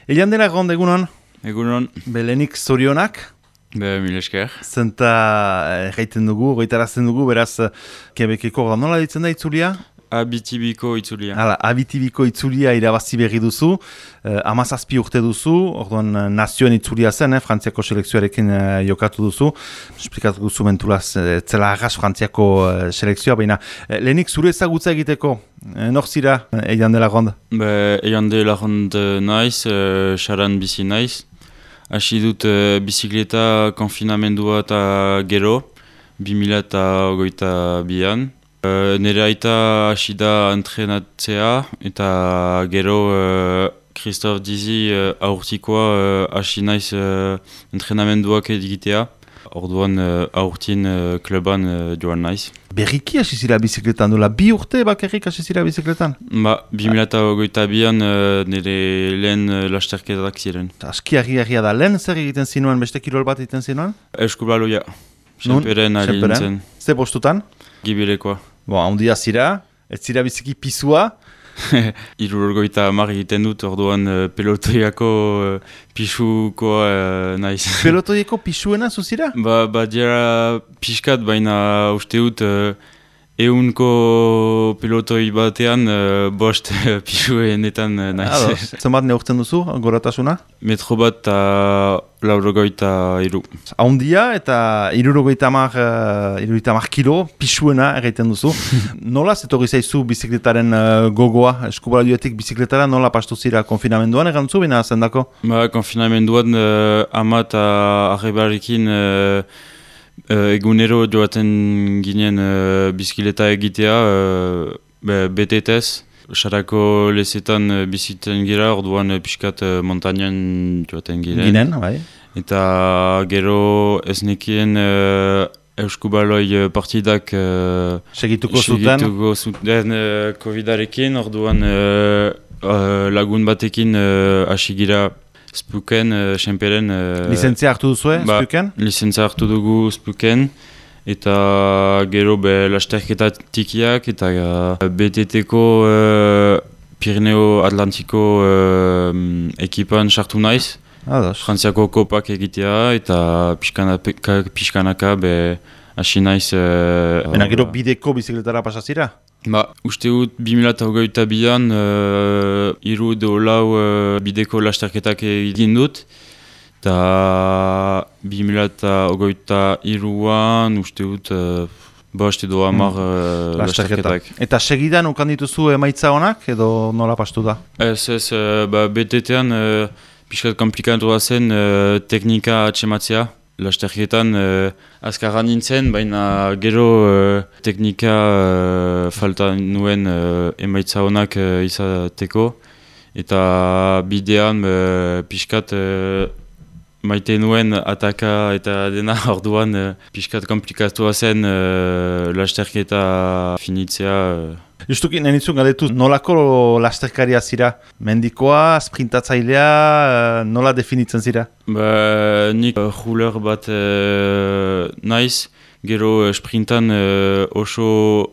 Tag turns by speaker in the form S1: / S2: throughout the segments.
S1: Elian dela gond egunon,
S2: Egunon,
S1: belenik zorionak,
S2: mil esker.
S1: zenta gaiten dugu, goitarazten dugu, beraz, Quebeceko nola ditzen da itzulia?
S2: Abitibiko itzulia.
S1: Hala, abitibiko itzulia irabazi berri duzu, 17 urte duzu, orduan nazioen itzulia zen, Frantziako selekzioarekin jokatu duzu, esplikatu duzu mentulaz, zela arras Frantziako selekzioa, baina lehenik zure ezagutza egiteko, nor zira, Elian dela gond?
S2: Eian de lagond naiz, saran bizi naiz. Hasi dut bizikleta konfinamendua eta gero, 2022an. Nere aita hasi da entrenatzea eta gero Christophe Dizi aurtikoa hasi naiz entrenamenduak egitea. Orduan aurtin kluban joan naiz.
S1: Berriki hasi zira bizikletan, dola 2 urte bakarrik hasi zira bizikletan?
S2: 2022an nire lehen lasterketak ziren.
S1: Aski argia da, lehen zer egiten zinuen, beste kirol bat egiten zinuen?
S2: Eskubaloia, senperen ari nintzen.
S1: Ze postutan?
S2: Gibilekoa.
S1: Handia zira, ez zira biziki pisua.
S2: 70 egiten dut, orduan pelotoiako pisukoa naiz.
S1: Pelotoieko pisuena zuzira?
S2: Dira pixkat, baina uste dut eunko pelotoi batean bost pisuenetan naiz.
S1: Zenbat neurtzen duzu, goratasuna?
S2: Metro bat eta 83.
S1: Handia eta 70 kilo pisuena egiten duzu. Nola zetorri zaizu bizikletaren gogoa, eskubalioetik bizikletara, nola pastu zira konfinamenduan egantzu bina zendako?
S2: Konfinamenduan ama eta arrebarekin egunero joaten ginen bizikleta egitea betetez. Sarako lezetan biziten gira, orduan pixkat montainan joaten ginen.
S1: Bai.
S2: Eta gero ez nekien Euskubaloi partidak
S1: segituko
S2: zuten Covidarekin, orduan lagun batekin hasi gira Spuken, senperen...
S1: Lizentzia hartu duzue, Spuken?
S2: Lizentzia hartu dugu Spuken, eta gero lasterketa tikiak, eta BTT-ko Pirineo Atlantiko ekipan sartu naiz. Frantziako kopak egitea, eta pixkanaka hasi naiz...
S1: Baina gero bideko bizikletara pasazira?
S2: Uste dut 2022an 3 bideko lasterketak egin dut, eta 2023an uste dut bost edo 10 lasterketak.
S1: Eta segidan ukan dituzu emaitza honak, edo nola pastu da?
S2: Ez, BTT-an pixkat komplikatua zen teknika atxematzea. Lasterketan azkarra nintzen, baina gero teknika falta nuen emaitza honak izateko. Eta bidean pixkat maite nuen ataka eta dena orduan pixkat komplikatua zen lasterketa finitzea.
S1: Justuki, nenitzun galdetu, nolako lasterkaria zira? Mendikoa, sprintatzailea, nola definitzen zira?
S2: Nik ruler bat naiz, gero sprintan oso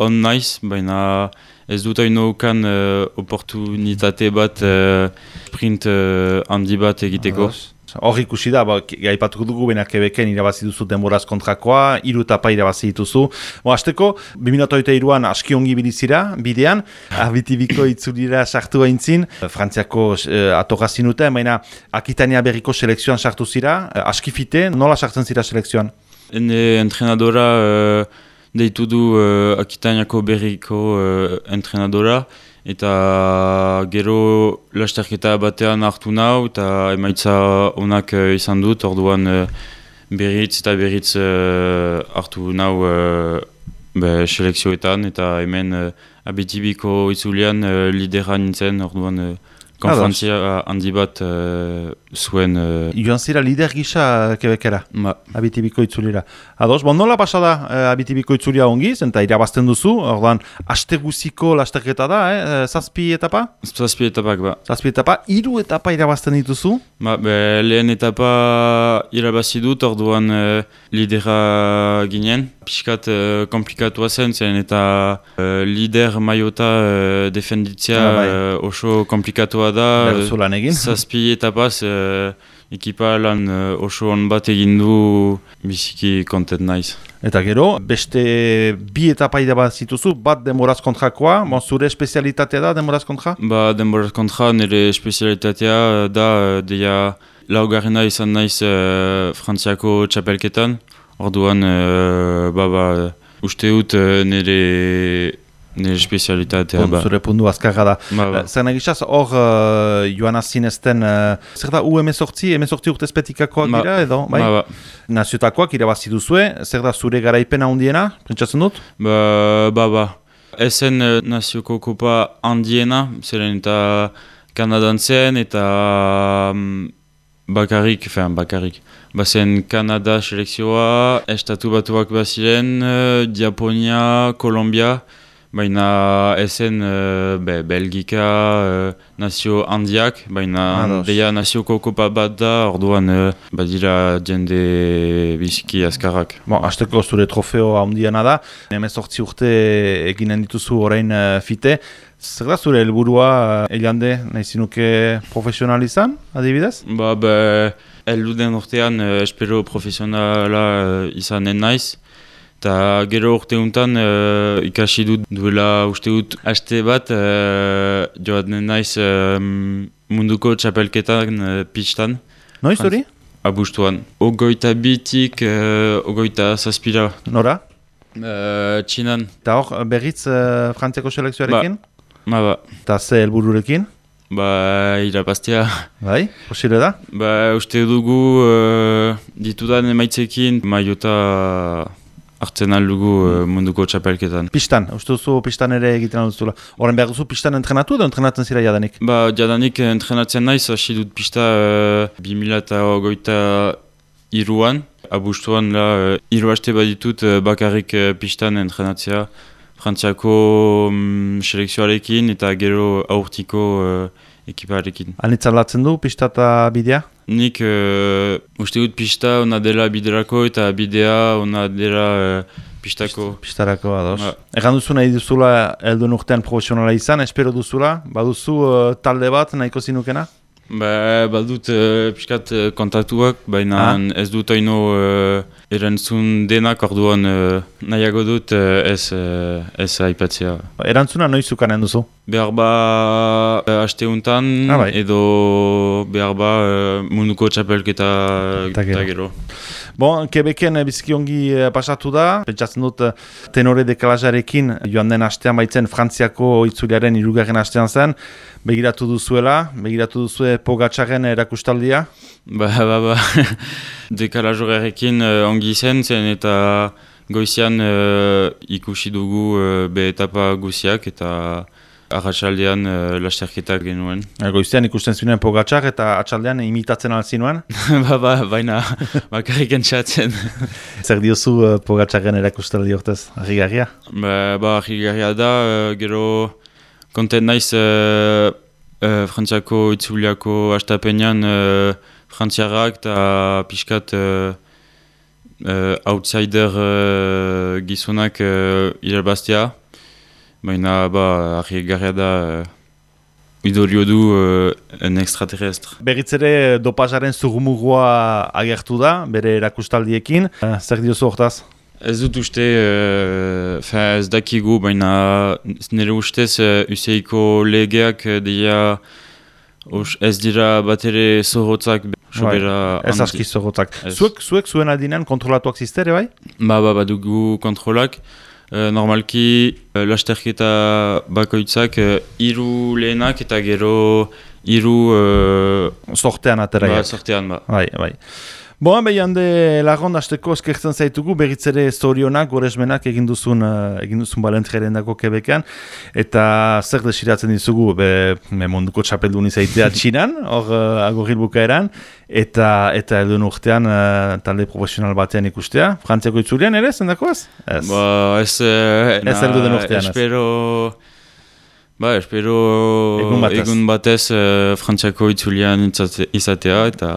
S2: on naiz, baina ez dut hainoukan oportunitate bat sprint handi bat egiteko.
S1: Hor ikusi da, gaipatuko dugu benak Quebecen irabazi duzu denboraz kontrakoa, 3 etapa irabazi dituzu. Azteko, 2023an aski ongi bilizira, bidean, abitibiko itzulira sartu haintzin, Frantziako atorra zinuten, baina Akitania berriko selekzioan sartu zira, aski fite, nola sartzen zira selekzioan?
S2: Ene entrenadora deitu du Akitaniako berriko entrenadora, eta gero lasterketa batean hartu nau eta emaitza onak izan dut, orduan berritz eta berritz hartu nau selekzioetan, eta hemen abitibiko itzulean lidera nintzen, orduan konferentzia handi bat zuen...
S1: Joan zira lider gisa Quebecera,
S2: Ba,
S1: Abitibiko itzulira. Ados, bon, nola pasada Abitibiko itzulia ongi, zenta irabazten duzu, ordan, aste guziko lasterketa da, zazpi etapa?
S2: zazpi etapak, ba.
S1: Zazpi etapa, 3 etapa irabazten dituzu?
S2: Ba, lehen etapa irabazi dut, orduan lidera ginen. Piskat komplikatua zen eta lider maiota defenditzea oso komplikatua da.
S1: Berzu lan egin.
S2: Zazpi etapaz ekipa lan oso on bat egin du biziki kontent naiz.
S1: Eta gero, beste 2 etapa irabazituzu, bat denboraz kontrakoa, zure espezialitatea da denboraz kontra?
S2: Ba, denboraz kontra nire espezialitatea da deia laugarrena izan naiz Frantziako txapelketan. Orduan, uste dut nire espezialitatea.
S1: Zure pundu azkarra da.
S2: Ba.
S1: Zer nagizaz, hor joan azinezten, zer da U18 urtezpetikakoak dira edo? Bai?
S2: Ba.
S1: Naziotakoak irabazi duzue, zer da zure garaipena handiena, pentsatzen dut?
S2: Ba. Ezen nazioko kopa handiena, zeren eta Kanadan zen eta bakarrik. Bazen Kanada selekzioa, estatu batuak baziren, Japonia, Kolombia, baina ezen Belgika, nazio handiak, baina deia nazioko kopa bat da, orduan badira jende biziki azkarrak.
S1: Azteko zure trofeo handiena da, 18 urte eginen dituzu orain fite, zer da zure helburua Eliande nahi zinuke profesional izan, adibidez?
S2: Elduden urtean espero profesionala izanen naiz. Eta gero urte untan ikasi dut duela uste dut haste bat joaten naiz munduko txapelketan pistan.
S1: Noiz hori?
S2: Abuztuan. 22-tik 27.
S1: Nora?
S2: Txinan.
S1: Eta hor berriz Frantziako selekzioarekin?
S2: Ba.
S1: Eta ze helbururekin?
S2: Irabaztea.
S1: Bai, posile da?
S2: Uste dugu ditudan emaitzekin maiota hartzen aldugu munduko txapelketan.
S1: Pistan, uste duzu pistan ere egiten alduzula. Horren behar duzu pistan entrenatu edo entrenatzen zira jadanik?
S2: Jadanik entrenatzen naiz, hasi dut pista 2023an. Abuztuan la 3 haste baditut bakarrik pistan entrenatzea. Frantziako selekzioarekin eta gero aurtiko ekiparekin.
S1: Anitzalatzen du pista eta bidea?
S2: Nik uste dut pista ona dela biderako eta bidea ona dela pistako.
S1: Pistarako, ados. Egan duzu nahi duzula helduen urtean profesionala izan, espero duzula? Baduzu talde bat nahiko zinukena?
S2: Badut piskat kontaktuak, baina ez dut haino erantzun denak, orduan nahiago dut ez aipatzea.
S1: Erantzuna noiz zukanen duzu?
S2: Behar haste untan, edo behar munduko txapelketa eta gero.
S1: Quebecen biziki ongi pasatu da, pentsatzen dut tenore dekalajarekin joan den astean baitzen Frantziako itzuliaren 3. astean zen, begiratu duzue Pogačaren erakustaldia?
S2: Ba. Dekalajorekin ongi zen eta goizian ikusi dugu be etapa guziak eta arratsaldean lasterketak genuen.
S1: Goizian ikusten zinuen Pogačar eta atxaldean imitatzen alzinuen?
S2: Baina bakarrik entzatzen.
S1: Zer diozu Pogačaren erakustaldi hortez, harrigarria?
S2: Harrigarria da, gero kontent naiz Frantziako itzuliako hastapenean frantziarrak eta pixkat outsider gizonak irabaztea. Baina harrigarria da idorio du en extraterrestre.
S1: Berriz ere dopazaren zurrumurua agertu da, bere erakustaldiekin. Zer diozu hortaz?
S2: Ez dut uste, ez dakigu, baina nire ustez UCI-ko legeak ez dira bat ere zorrotzak.
S1: Ez aski zorrotzak. Zuek zuen aldinean kontrolatuak ziztere, bai?
S2: Badugu kontrolak. Normalki lasterketa bakoitzak 3 lehenak eta gero 3
S1: sortean ateraiak.
S2: Sortean,
S1: Bai. Boa, behian de lagon hasteko eskertzen zaitugu, berriz ere zorionak, goresmenak egin duzun balentjeren dako Quebecan, eta zer desiratzen dizugu, munduko txapeldun izaitea Txinan, hor agorril bukaeran, eta elduen urtean talde profesional batean ikustea. Frantziako itzulean ere, zendakoaz? Ez. Ez elduen urtean.
S2: Espero egun batez Frantziako itzulean izatea eta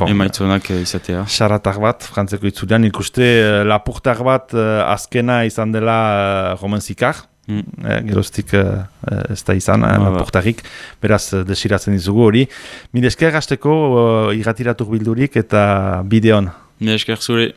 S2: emaitzonak izatea.
S1: Xaratak bat, Frantziako itzulean ikuste lapurtar bat azkena izan dela Romenzikar. Geroztik ez da izan, lapurtarik. Beraz, desiratzen dizugu hori. Mil esker hasteko irratiratuk bildurik eta bideon.
S2: Mil esker zure.